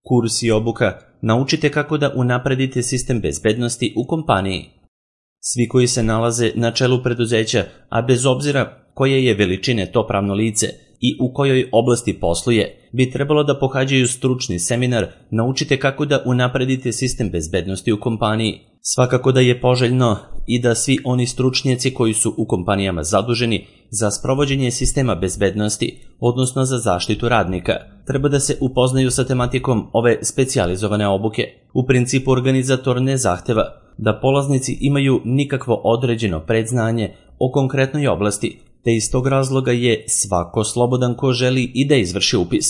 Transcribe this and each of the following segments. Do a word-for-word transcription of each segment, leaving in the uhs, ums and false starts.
Kurs i obuka. Naučite kako da unapredite sistem bezbednosti u kompaniji. Svi koji se nalaze na čelu preduzeća, a bez obzira koje je veličine to pravno lice i u kojoj oblasti posluje, bi trebalo da pohađaju stručni seminar Naučite kako da unapredite sistem bezbednosti u kompaniji. Svakako da je poželjno i da svi oni stručnjaci koji su u kompanijama zaduženi za sprovođenje sistema bezbednosti, odnosno za zaštitu radnika, treba da se upoznaju sa tematikom ove specijalizovane obuke. U principu organizator ne zahteva da polaznici imaju nikakvo određeno predznanje o konkretnoj oblasti, te iz tog razloga je svako slobodan ko želi i da izvrši upis.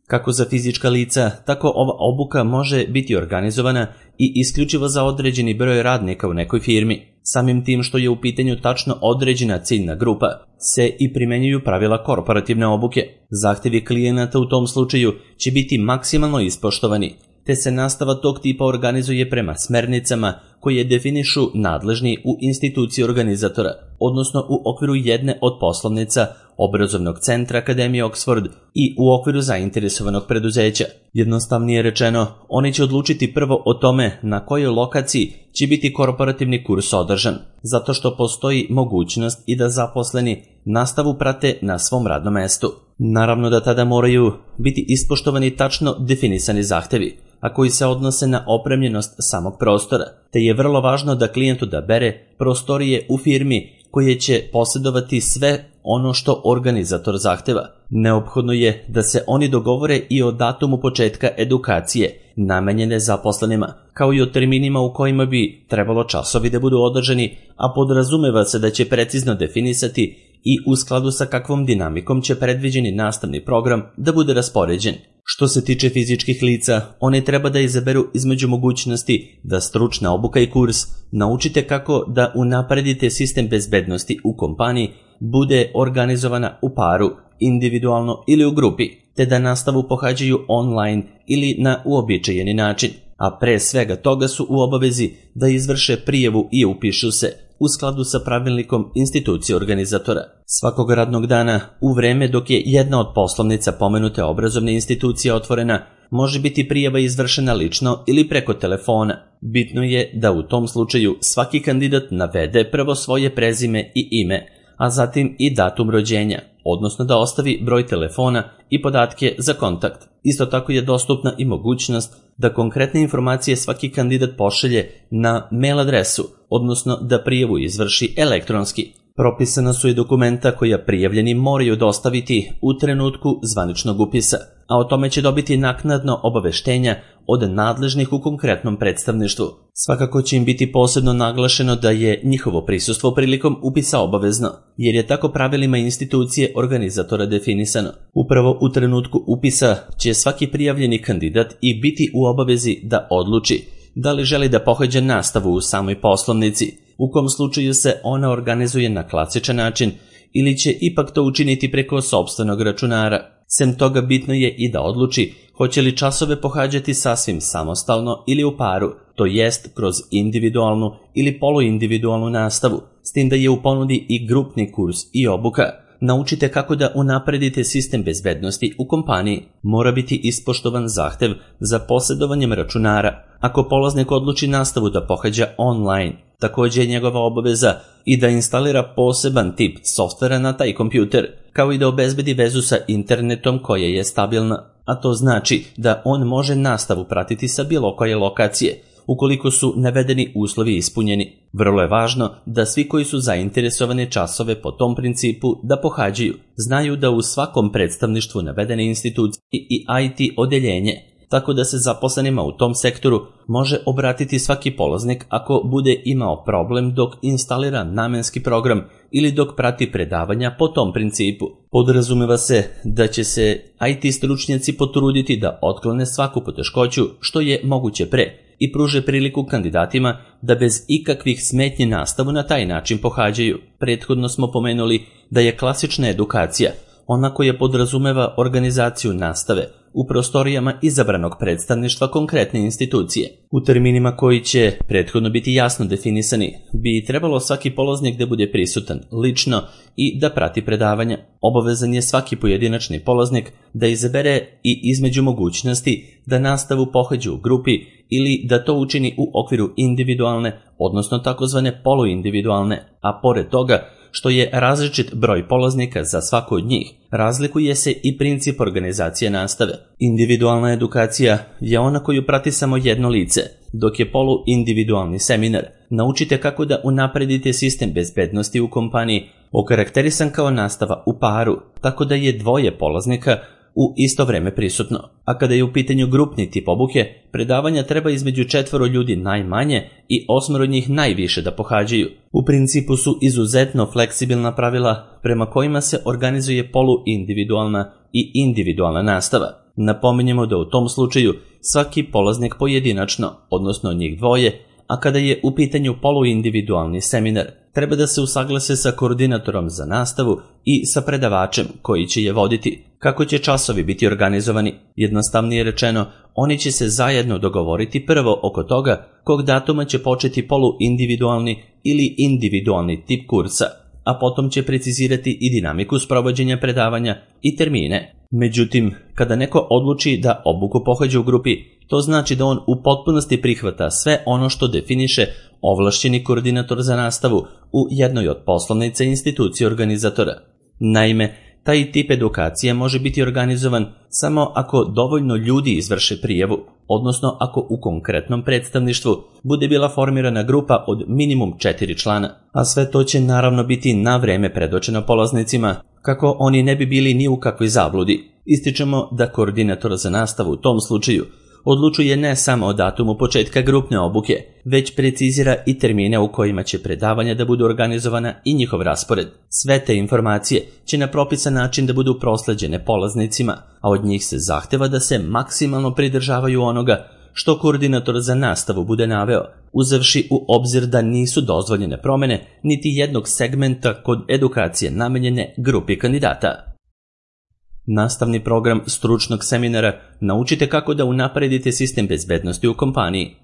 Kako za fizička lica, tako ova obuka može biti organizovana i isključivo za određeni broj radnika u nekoj firmi. Samim tim što je u pitanju tačno određena ciljna grupa, se i primenjuju pravila korporativne obuke. Zahtevi klijenata u tom slučaju će biti maksimalno ispoštovani, te se nastava tog tipa organizuje prema smernicama koje definišu nadležni u instituciji organizatora, odnosno u okviru jedne od poslovnica obrazovnog centra Akademije Oxford i u okviru zainteresovanog preduzeća. Jednostavnije rečeno, oni će odlučiti prvo o tome na kojoj lokaciji će biti korporativni kurs održan, zato što postoji mogućnost i da zaposleni nastavu prate na svom radnom mestu. Naravno da tada moraju biti ispoštovani tačno definisani zahtevi, a koji se odnose na opremljenost samog prostora, te je vrlo važno da klijent odabere prostorije u firmi koje će posjedovati sve ono što organizator zahteva. Neophodno je da se oni dogovore i o datumu početka edukacije namenjene zaposlenima, kao i o terminima u kojima bi trebalo časovi da budu održani, a podrazumeva se da će precizno definisati i u skladu sa kakvom dinamikom će predviđeni nastavni program da bude raspoređen. Što se tiče fizičkih lica, oni treba da izaberu između mogućnosti da stručna obuka i kurs Naučite kako da unapredite sistem bezbednosti u kompaniji bude organizovana u paru, individualno ili u grupi, te da nastavu pohađaju online ili na uobičajeni način, a pre svega toga su u obavezi da izvrše prijavu i upišu se u skladu sa pravilnikom institucije organizatora. Svakog radnog dana, u vreme dok je jedna od poslovnica pomenute obrazovne institucije otvorena, može biti prijava izvršena lično ili preko telefona. Bitno je da u tom slučaju svaki kandidat navede prvo svoje prezime i ime, a zatim i datum rođenja, odnosno da ostavi broj telefona i podatke za kontakt. Isto tako je dostupna i mogućnost da konkretne informacije svaki kandidat pošalje na mail adresu, odnosno da prijavu izvrši elektronski. Propisana su i dokumenta koja prijavljeni moraju dostaviti u trenutku zvaničnog upisa, a o tome će dobiti naknadno obaveštenja od nadležnih u konkretnom predstavništvu. Svakako će im biti posebno naglašeno da je njihovo prisustvo prilikom upisa obavezno, jer je tako pravilima institucije organizatora definisano. Upravo u trenutku upisa će svaki prijavljeni kandidat i biti u obavezi da odluči da li želi da pohađa nastavu u samoj poslovnici, u kom slučaju se ona organizuje na klasičan način, ili će ipak to učiniti preko sopstvenog računara. Sem toga bitno je i da odluči hoće li časove pohađati sasvim samostalno ili u paru, to jest kroz individualnu ili poluindividualnu nastavu, s tim da je u ponudi i grupni kurs i obuka. Naučite kako da unapredite sistem bezbednosti u kompaniji. Mora biti ispoštovan zahtev za posjedovanjem računara. Ako polaznik odluči nastavu da pohađa online, također je njegova obaveza i da instalira poseban tip softvera na taj kompjuter, kao i da obezbedi vezu sa internetom koja je stabilna, a to znači da on može nastavu pratiti sa bilo koje lokacije, ukoliko su navedeni uslovi ispunjeni. Vrlo je važno da svi koji su zainteresovani časove po tom principu da pohađaju, znaju da u svakom predstavništvu navedene institucije i I T odeljenje, tako da se zaposlenima u tom sektoru može obratiti svaki polaznik ako bude imao problem dok instalira namenski program ili dok prati predavanja po tom principu. Podrazumeva se da će se I T stručnjaci potruditi da otklone svaku poteškoću što je moguće pre i pruže priliku kandidatima da bez ikakvih smetnji nastavu na taj način pohađaju. Prethodno smo pomenuli da je klasična edukacija ona koja podrazumeva organizaciju nastave u prostorijama izabranog predstavništva konkretne institucije. U terminima koji će prethodno biti jasno definisani, bi trebalo svaki polaznik da bude prisutan lično i da prati predavanja. Obavezan je svaki pojedinačni polaznik da izabere i između mogućnosti da nastavu pohađa u grupi ili da to učini u okviru individualne, odnosno takozvane poluindividualne, a pored toga što je različit broj polaznika za svako od njih, razlikuje se i princip organizacije nastave. Individualna edukacija je ona koju prati samo jedno lice, dok je poluindividualni seminar naučite kako da unapredite sistem bezbednosti u kompaniji, okarakterisan kao nastava u paru, tako da je dvoje polaznika u isto vreme prisutno. A kada je u pitanju grupni tip obuke, predavanja treba između četvoro ljudi najmanje i osmoro njih najviše da pohađaju. U principu su izuzetno fleksibilna pravila prema kojima se organizuje poluindividualna i individualna nastava. Napominjemo da u tom slučaju svaki polaznik pojedinačno, odnosno njih dvoje, a kada je u pitanju poluindividualni seminar, treba da se usaglase sa koordinatorom za nastavu i sa predavačem koji će je voditi. Kako će časovi biti organizovani? Jednostavnije rečeno, oni će se zajedno dogovoriti prvo oko toga kog datuma će početi poluindividualni ili individualni tip kursa, a potom će precizirati i dinamiku sprovođenja predavanja i termine. Međutim, kada neko odluči da obuku pohađa u grupi, to znači da on u potpunosti prihvata sve ono što definiše ovlašćeni koordinator za nastavu u jednoj od poslovnica institucije organizatora. Naime, taj tip edukacije može biti organizovan samo ako dovoljno ljudi izvrše prijavu, odnosno ako u konkretnom predstavništvu bude bila formirana grupa od minimum četiri člana, a sve to će naravno biti na vreme predočeno polaznicima, kako oni ne bi bili ni u kakvoj zabludi. Ističemo da koordinator za nastavu u tom slučaju odlučuje ne samo o datumu početka grupne obuke, već precizira i termine u kojima će predavanja da budu organizovana i njihov raspored. Sve te informacije će na propisan način da budu prosleđene polaznicima, a od njih se zahteva da se maksimalno pridržavaju onoga što koordinator za nastavu bude naveo, uzevši u obzir da nisu dozvoljene promene niti jednog segmenta kod edukacije namenjene grupi kandidata. Nastavni program stručnog seminara naučite kako da unapredite sistem bezbednosti u kompaniji.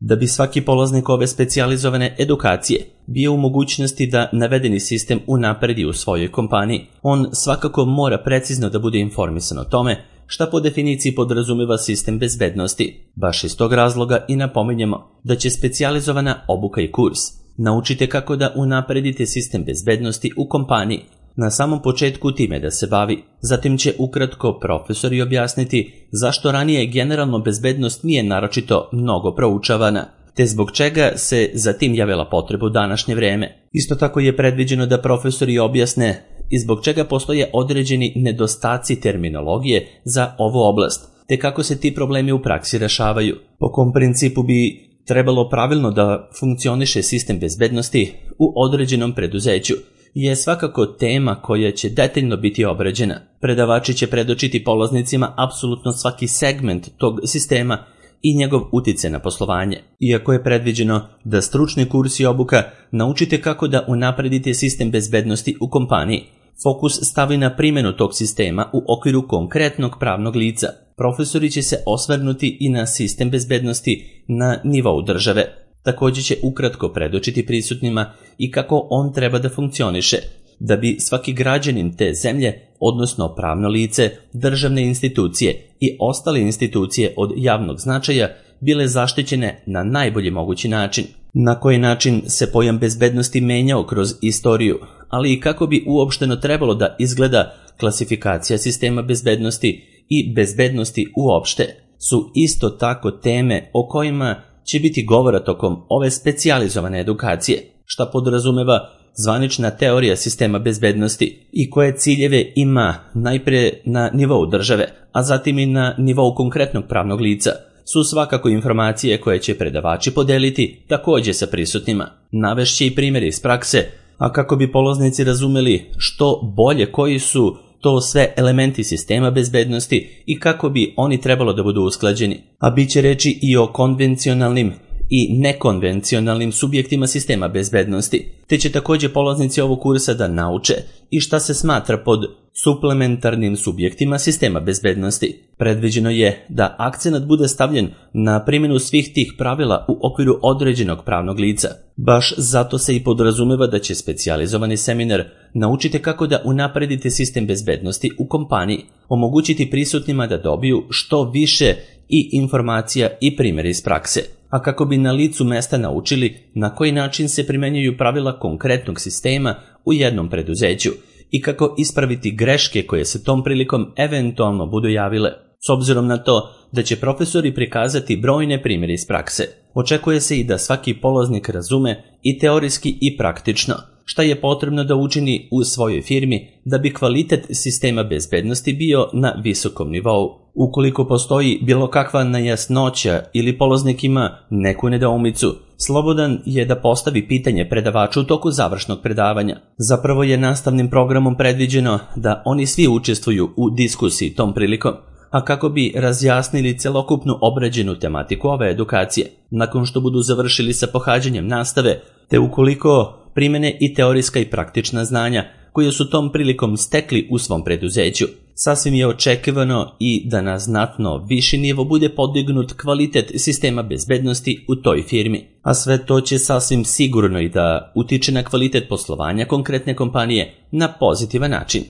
Da bi svaki polaznik ove specijalizovane edukacije bio u mogućnosti da navedeni sistem unapredi u svojoj kompaniji, on svakako mora precizno da bude informisan o tome šta po definiciji podrazumeva sistem bezbednosti. Baš iz tog razloga i napominjemo da će specijalizovana obuka i kurs naučite kako da unapredite sistem bezbednosti u kompaniji na samom početku time da se bavi. Zatim će ukratko profesori objasniti zašto ranije generalno bezbednost nije naročito mnogo proučavana, te zbog čega se za tim javila potreba u današnje vreme. Isto tako je predviđeno da profesori objasne i zbog čega postoje određeni nedostaci terminologije za ovu oblast, te kako se ti problemi u praksi rešavaju. Po kom principu bi trebalo pravilno da funkcioniše sistem bezbednosti u određenom preduzeću, je svakako tema koja će detaljno biti obrađena. Predavači će predočiti polaznicima apsolutno svaki segment tog sistema i njegov uticaj na poslovanje. Iako je predviđeno da stručni kurs i obuka naučite kako da unapredite sistem bezbednosti u kompaniji, fokus stavi na primjenu tog sistema u okviru konkretnog pravnog lica. Profesori će se osvrnuti i na sistem bezbednosti na nivou države. Također će ukratko predočiti prisutnima i kako on treba da funkcioniše, da bi svaki građanin te zemlje, odnosno pravno lice, državne institucije i ostale institucije od javnog značaja bile zaštićene na najbolji mogući način. Na koji način se pojam bezbednosti menjao kroz istoriju, ali i kako bi uopšteno trebalo da izgleda klasifikacija sistema bezbednosti i bezbednosti uopšte, su isto tako teme o kojima će biti govora tokom ove specijalizovane edukacije, šta podrazumeva zvanična teorija sistema bezbednosti i koje ciljeve ima najpre na nivou države, a zatim i na nivou konkretnog pravnog lica, su svakako informacije koje će predavači podeliti također sa prisutnima. Navešće i primjeri iz prakse, a kako bi polaznici razumeli što bolje koji su to sve elementi sistema bezbednosti i kako bi oni trebalo da budu usklađeni. A bit će reći i o konvencionalnim i nekonvencionalnim subjektima sistema bezbednosti, te će također polaznici ovog kursa da nauče i šta se smatra pod suplementarnim subjektima sistema bezbednosti. Predviđeno je da akcenat bude stavljen na primjenu svih tih pravila u okviru određenog pravnog lica. Baš zato se i podrazumeva da će specijalizovani seminar naučite kako da unapredite sistem bezbednosti u kompaniji, omogućiti prisutnima da dobiju što više i informacija i primjere iz prakse, a kako bi na licu mesta naučili na koji način se primenjuju pravila konkretnog sistema u jednom preduzeću i kako ispraviti greške koje se tom prilikom eventualno budu javile. S obzirom na to da će profesori prikazati brojne primjere iz prakse, očekuje se i da svaki polaznik razume i teorijski i praktično šta je potrebno da učini u svojoj firmi da bi kvalitet sistema bezbednosti bio na visokom nivou. Ukoliko postoji bilo kakva nejasnoća ili polaznik ima neku nedoumicu, slobodan je da postavi pitanje predavaču u toku završnog predavanja. Zapravo je nastavnim programom predviđeno da oni svi učestvuju u diskusiji tom prilikom, a kako bi razjasnili celokupnu obrađenu tematiku ove edukacije, nakon što budu završili sa pohađanjem nastave, te ukoliko primene i teorijska i praktična znanja koje su tom prilikom stekli u svom preduzeću, sasvim je očekivano i da na znatno viši nivo bude podignut kvalitet sistema bezbednosti u toj firmi, a sve to će sasvim sigurno i da utiče na kvalitet poslovanja konkretne kompanije na pozitivan način.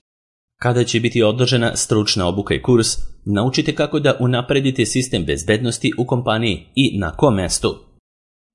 Kada će biti održana stručna obuka i kurs, naučite kako da unapredite sistem bezbednosti u kompaniji i na kom mestu.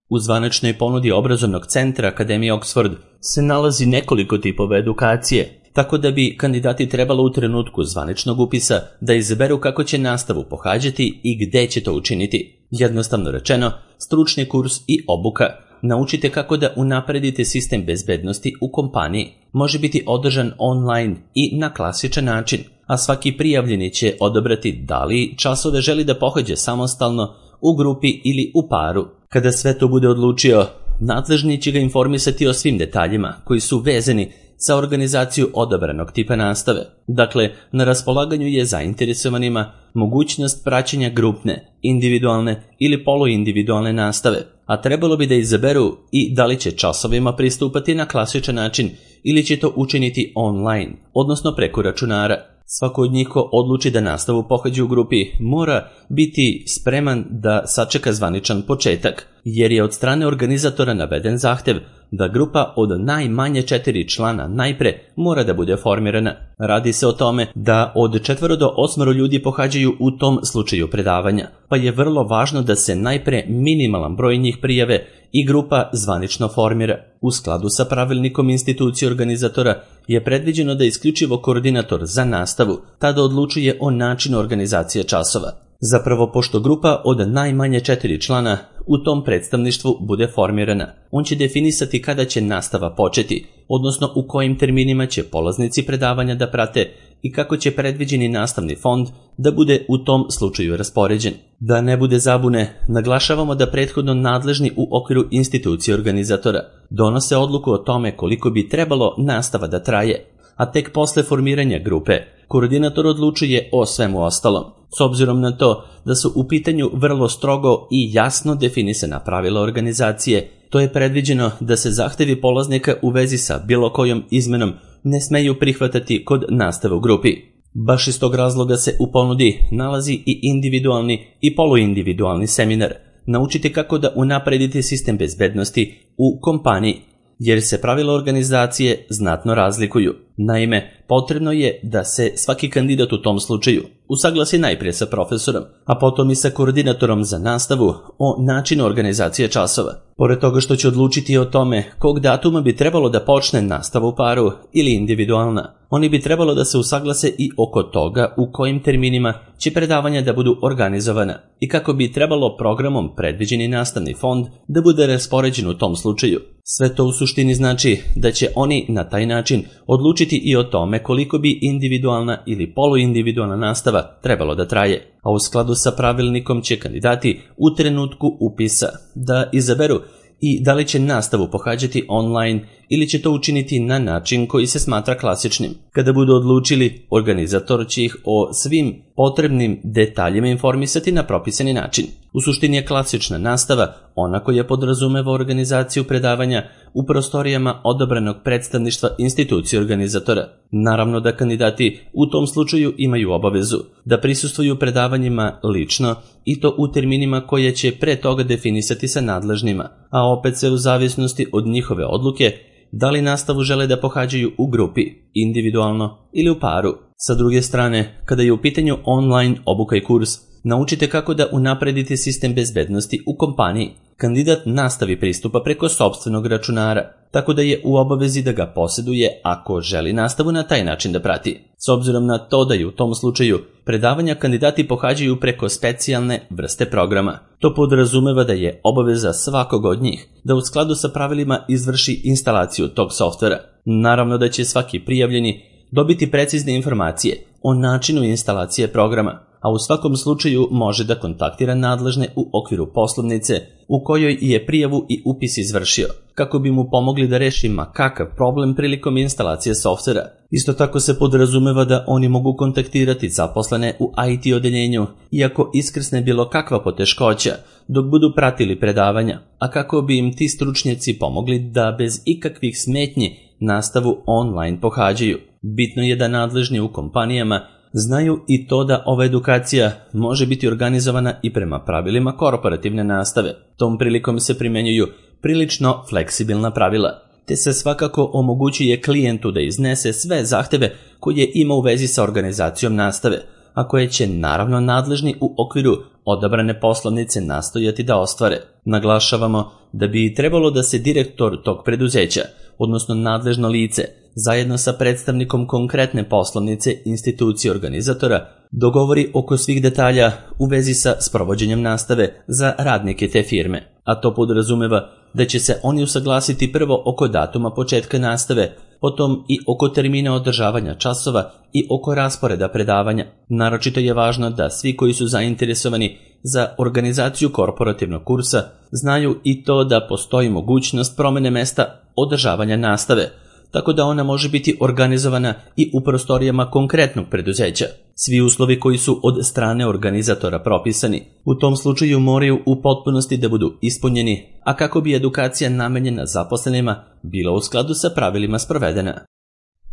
U zvaničnoj ponudi obrazovnog centra Akademije Oxford se nalazi nekoliko tipova edukacije, tako da bi kandidati trebalo u trenutku zvaničnog upisa da izaberu kako će nastavu pohađati i gde će to učiniti. Jednostavno rečeno, stručni kurs i obuka naučite kako da unapredite sistem bezbednosti u kompaniji. Može biti održan online i na klasičan način, a svaki prijavljeni će odabrati da li časove želi da pohađa samostalno, u grupi ili u paru. Kada sve to bude odlučio, nadležni će ga informisati o svim detaljima koji su vezani za organizaciju odabranog tipa nastave. Dakle, na raspolaganju je zainteresovanima mogućnost praćenja grupne, individualne ili poluindividualne nastave, a trebalo bi da izaberu i da li će časovima pristupati na klasičan način ili će to učiniti online, odnosno preko računara. Svako od njih ko odluči da nastavu pohađa u grupi mora biti spreman da sačeka zvaničan početak, jer je od strane organizatora naveden zahtev da grupa od najmanje četiri člana najpre mora da bude formirana. Radi se o tome da od četvoro do osmoro ljudi pohađaju u tom slučaju predavanja, pa je vrlo važno da se najpre minimalan broj njih prijave i grupa zvanično formira. U skladu sa pravilnikom institucije organizatora je predviđeno da isključivo koordinator za nastavu tada odlučuje o načinu organizacije časova. Zapravo, pošto grupa od najmanje četiri člana u tom predstavništvu bude formirana, on će definisati kada će nastava početi, odnosno u kojim terminima će polaznici predavanja da prate i kako će predviđeni nastavni fond da bude u tom slučaju raspoređen. Da ne bude zabune, naglašavamo da prethodno nadležni u okviru institucije organizatora donose odluku o tome koliko bi trebalo nastava da traje, a tek posle formiranja grupe koordinator odlučuje o svemu ostalom. S obzirom na to da su u pitanju vrlo strogo i jasno definisana pravila organizacije, to je predviđeno da se zahtevi polaznika u vezi sa bilo kojom izmenom ne smeju prihvatati kod nastave u grupi. Baš iz tog razloga se u ponudi nalazi i individualni i poluindividualni seminar. Naučite kako da unapredite sistem bezbednosti u kompaniji, jer se pravila organizacije znatno razlikuju. Naime, potrebno je da se svaki kandidat u tom slučaju usaglasi najprije sa profesorom, a potom i sa koordinatorom za nastavu o načinu organizacije časova. Pored toga što će odlučiti o tome kog datuma bi trebalo da počne nastava u paru ili individualna, oni bi trebalo da se usaglase i oko toga u kojim terminima će predavanja da budu organizovana i kako bi trebalo programom predviđeni nastavni fond da bude raspoređen u tom slučaju. Sve to u suštini znači da će oni na taj način odlučiti i o tome koliko bi individualna ili poluindividualna nastava trebalo da traje, a u skladu sa pravilnikom će kandidati u trenutku upisa da izaberu i da li će nastavu pohađati online ili će to učiniti na način koji se smatra klasičnim. Kada budu odlučili, organizator će ih o svim potrebnim detaljima informisati na propisani način. U suštini je klasična nastava ona koja podrazumeva organizaciju predavanja u prostorijama odabranog predstavništva institucije organizatora. Naravno da kandidati u tom slučaju imaju obavezu da prisustvuju predavanjima lično i to u terminima koje će pre toga definisati sa nadležnima, a opet se u zavisnosti od njihove odluke da li nastavu žele da pohađaju u grupi, individualno ili u paru. Sa druge strane, kada je u pitanju online obuka i kurs, naučite kako da unapredite sistem bezbednosti u kompaniji. Kandidat nastavi pristupa preko sopstvenog računara, tako da je u obavezi da ga posjeduje ako želi nastavu na taj način da prati. S obzirom na to da je u tom slučaju predavanja kandidati pohađaju preko specijalne vrste programa. To podrazumeva da je obaveza svakog od njih da u skladu sa pravilima izvrši instalaciju tog softvera. Naravno da će svaki prijavljeni dobiti precizne informacije o načinu instalacije programa, a u svakom slučaju može da kontaktira nadležne u okviru poslovnice u kojoj je prijavu i upis izvršio, kako bi mu pomogli da reši ma kakav problem prilikom instalacije softvera. Isto tako se podrazumeva da oni mogu kontaktirati zaposlene u I T odeljenju, iako iskrsne bilo kakva poteškoća, dok budu pratili predavanja, a kako bi im ti stručnjaci pomogli da bez ikakvih smetnji nastavu online pohađaju. Bitno je da nadležni u kompanijama znaju i to da ova edukacija može biti organizovana i prema pravilima korporativne nastave. Tom prilikom se primenjuju prilično fleksibilna pravila, te se svakako omogućuje klijentu da iznese sve zahteve koje ima u vezi sa organizacijom nastave, a koje će naravno nadležni u okviru odabrane poslovnice nastojati da ostvare. Naglašavamo da bi trebalo da se direktor tog preduzeća, odnosno nadležno lice, zajedno sa predstavnikom konkretne poslovnice institucije organizatora, dogovori oko svih detalja u vezi sa sprovođenjem nastave za radnike te firme, a to podrazumeva da će se oni usaglasiti prvo oko datuma početka nastave, potom i oko termina održavanja časova i oko rasporeda predavanja. Naročito je važno da svi koji su zainteresovani za organizaciju korporativnog kursa znaju i to da postoji mogućnost promene mesta održavanja nastave, tako da ona može biti organizovana i u prostorijama konkretnog preduzeća. Svi uslovi koji su od strane organizatora propisani u tom slučaju moraju u potpunosti da budu ispunjeni, a kako bi edukacija namenjena zaposlenima bila u skladu sa pravilima sprovedena.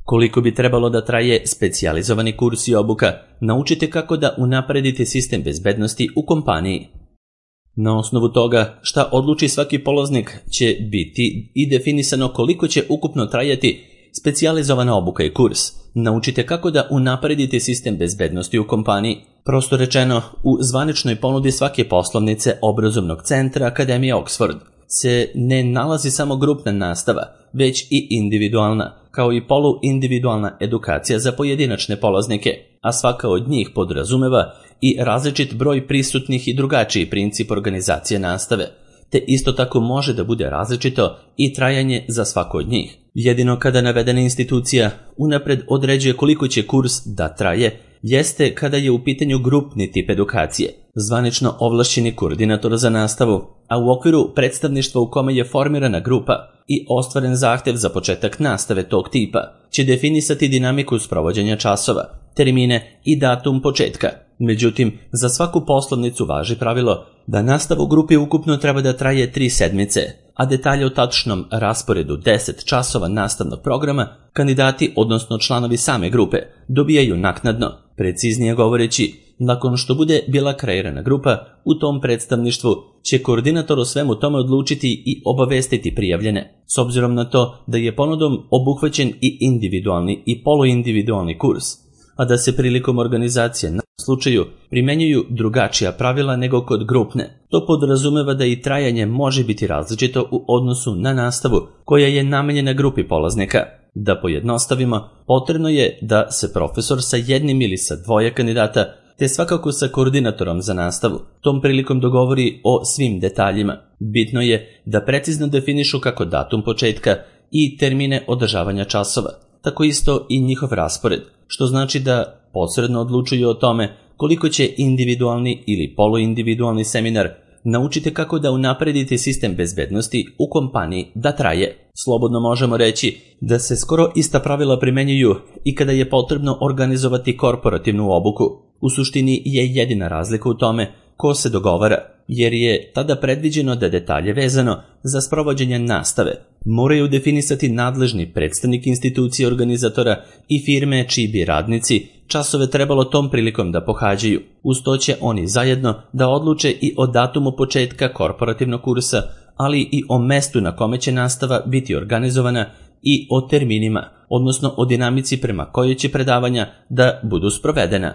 Koliko bi trebalo da traje specijalizovani kurs i obuka, naučite kako da unapredite sistem bezbednosti u kompaniji. Na osnovu toga šta odluči svaki polaznik će biti i definisano koliko će ukupno trajati specijalizovana obuka i kurs. Naučite kako da unapredite sistem bezbednosti u kompaniji. Prosto rečeno, u zvaničnoj ponudi svake poslovnice obrazovnog centra Akademije Oxford se ne nalazi samo grupna nastava, već i individualna, kao i poluindividualna edukacija za pojedinačne polaznike, a svaka od njih podrazumeva i različit broj prisutnih i drugačiji princip organizacije nastave, te isto tako može da bude različito i trajanje za svako od njih. Jedino kada navedena institucija unapred određuje koliko će kurs da traje, jeste kada je u pitanju grupni tip edukacije, zvanično ovlašćeni koordinator za nastavu, a u okviru predstavništva u kome je formirana grupa i ostvaren zahtev za početak nastave tog tipa, će definisati dinamiku sprovođenja časova, termine i datum početka. Međutim, za svaku poslovnicu važi pravilo da nastava u grupi ukupno treba da traje tri sedmice, a detalje o tačnom rasporedu deset časova nastavnog programa kandidati, odnosno članovi same grupe, dobijaju naknadno. Preciznije govoreći, nakon što bude bila kreirana grupa, u tom predstavništvu će koordinator o svemu tome odlučiti i obavestiti prijavljene. S obzirom na to da je ponudom obuhvaćen i individualni i poluindividualni kurs, a da se prilikom organizacije na slučaju primenjuju drugačija pravila nego kod grupne. To podrazumeva da i trajanje može biti različito u odnosu na nastavu koja je namenjena grupi polaznika. Da pojednostavimo, potrebno je da se profesor sa jednim ili sa dvoje kandidata, te svakako sa koordinatorom za nastavu, tom prilikom dogovori o svim detaljima. Bitno je da precizno definišu kako datum početka i termine održavanja časova, tako isto i njihov raspored, što znači da posredno odlučuju o tome koliko će individualni ili poluindividualni seminar naučite kako da unapredite sistem bezbednosti u kompaniji da traje. Slobodno možemo reći da se skoro ista pravila primenjuju i kada je potrebno organizovati korporativnu obuku. U suštini je jedina razlika u tome ko se dogovara, jer je tada predviđeno da detalje vezano za sprovođenje nastave moraju definisati nadležni predstavnik institucije organizatora i firme čiji bi radnici časove trebalo tom prilikom da pohađaju. Uz to će oni zajedno da odluče i o datumu početka korporativnog kursa, ali i o mestu na kome će nastava biti organizovana i o terminima, odnosno o dinamici prema kojoj će predavanja da budu sprovedena.